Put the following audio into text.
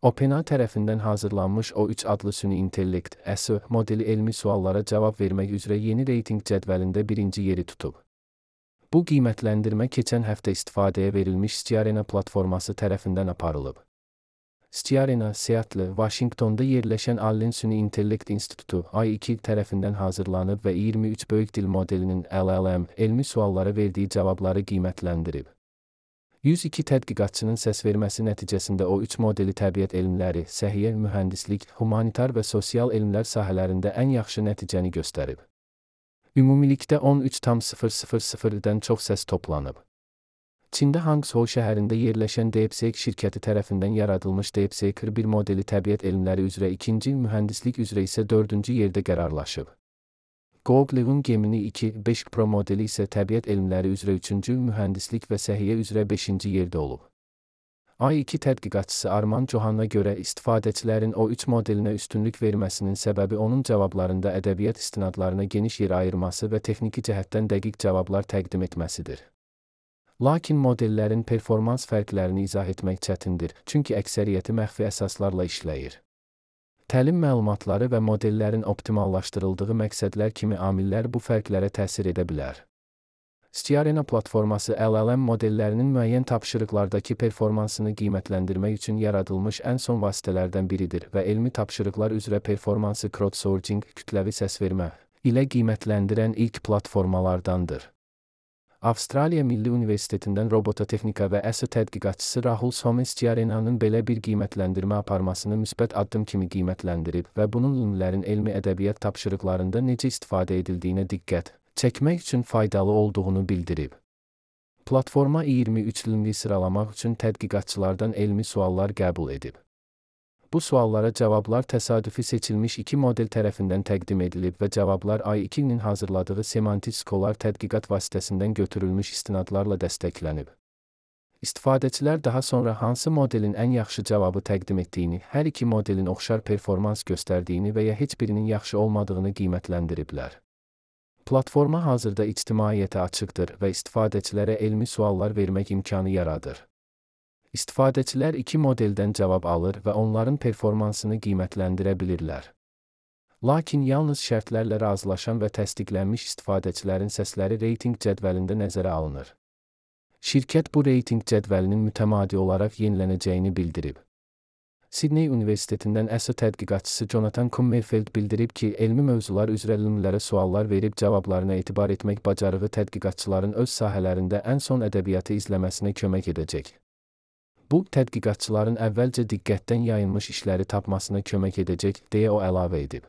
OpenAI tərəfindən hazırlanmış O3 adlı süni intellekt (SO) modeli elmi suallara cavab vermək üzrə yeni reytinq cədvəlində birinci yeri tutub. Bu qiymətləndirmə keçən həftə istifadəyə verilmiş Skiarena platforması tərəfindən aparılıb. Skiarena, Seattle, Washingtonda yerləşən Allen Süni İntellekt İnstitutu (AI2) tərəfindən hazırlanıb və 23 böyük dil modelinin (LLM) elmi suallara verdiyi cavabları qiymətləndirib. 102 tədqiqatçının səsverməsi nəticəsində O3 modeli təbiət elmləri, səhiyyə, mühəndislik, humanitar və sosial elmlər sahələrində ən yaxşı nəticəni göstərib. Ümumilikdə 13,000-dən çox səs toplanıb. Çində Hangzhou şəhərində yerləşən DeepSeek şirkəti tərəfindən yaradılmış DeepSeek 1 modeli təbiət elmləri üzrə 2-ci, mühəndislik üzrə isə 4-cü yerdə qərarlaşıb. Google'un Gemini 2.5 Pro modeli isə təbiət elmləri üzrə 3-cü, mühəndislik və səhiyyə üzrə 5-ci yerdə olub. AI2 tədqiqatçısı Arman Johanna görə istifadəçilərin O3 modelinə üstünlük verməsinin səbəbi onun cavablarında ədəbiyyat istinadlarına geniş yer ayırması və texniki cəhətdən dəqiq cavablar təqdim etməsidir. Lakin modellərin performans fərqlərini izah etmək çətindir, çünki əksəriyyəti məxfi əsaslarla işləyir. Təlim məlumatları və modellərin optimallaşdırıldığı məqsədlər kimi amillər bu fərqlərə təsir edə bilər. Skiarena platforması LLM modellərinin müəyyən tapşırıqlardakı performansını qiymətləndirmək üçün yaradılmış ən son vasitələrdən biridir və elmi tapşırıqlar üzrə performansı crowdsourcing, kütləvi səsvermə ilə qiymətləndirən ilk platformalardandır. Avstraliya Milli Universitetindən robototexnika və SO tədqiqatçısı Rahul Somi Skiarena'nın belə bir qiymətləndirmə aparmasını müsbət addım kimi qiymətləndirib və bunun ünlülərin elmi ədəbiyyat tapşırıqlarında necə istifadə edildiyinə diqqət çəkmək üçün faydalı olduğunu bildirib. Platforma 23 ilmi sıralamaq üçün tədqiqatçılardan elmi suallar qəbul edib. Bu suallara cavablar təsadüfi seçilmiş 2 model tərəfindən təqdim edilib və cavablar AI2-nin hazırladığı semantik skolar tədqiqat vasitəsindən götürülmüş istinadlarla dəstəklənib. İstifadəçilər daha sonra hansı modelin ən yaxşı cavabı təqdim etdiyini, hər iki modelin oxşar performans göstərdiyini və ya heç birinin yaxşı olmadığını qiymətləndiriblər. Platforma hazırda ictimaiyyətə açıqdır və istifadəçilərə elmi suallar vermək imkanı yaradır. İstifadəçilər 2 modeldən cavab alır və onların performansını qiymətləndirə bilirlər. Lakin yalnız şərtlərlə razılaşan və təsdiqlənmiş istifadəçilərin səsləri reytinq cədvəlində nəzərə alınır. Şirkət bu reytinq cədvəlinin mütəmadi olaraq yenilənəcəyini bildirib. Sydney Universitetindən SO tədqiqatçısı Jonathan Kummerfeld bildirib ki, elmi mövzular üzrə elmlərə suallar verib cavablarına etibar etmək bacarığı tədqiqatçıların öz sahələrində ən son ədəbiyyatı izləməsinə kömək edəcək. Bu, tədqiqatçıların əvvəlcə diqqətdən yayınmış işləri tapmasına kömək edəcək, deyə o əlavə edib.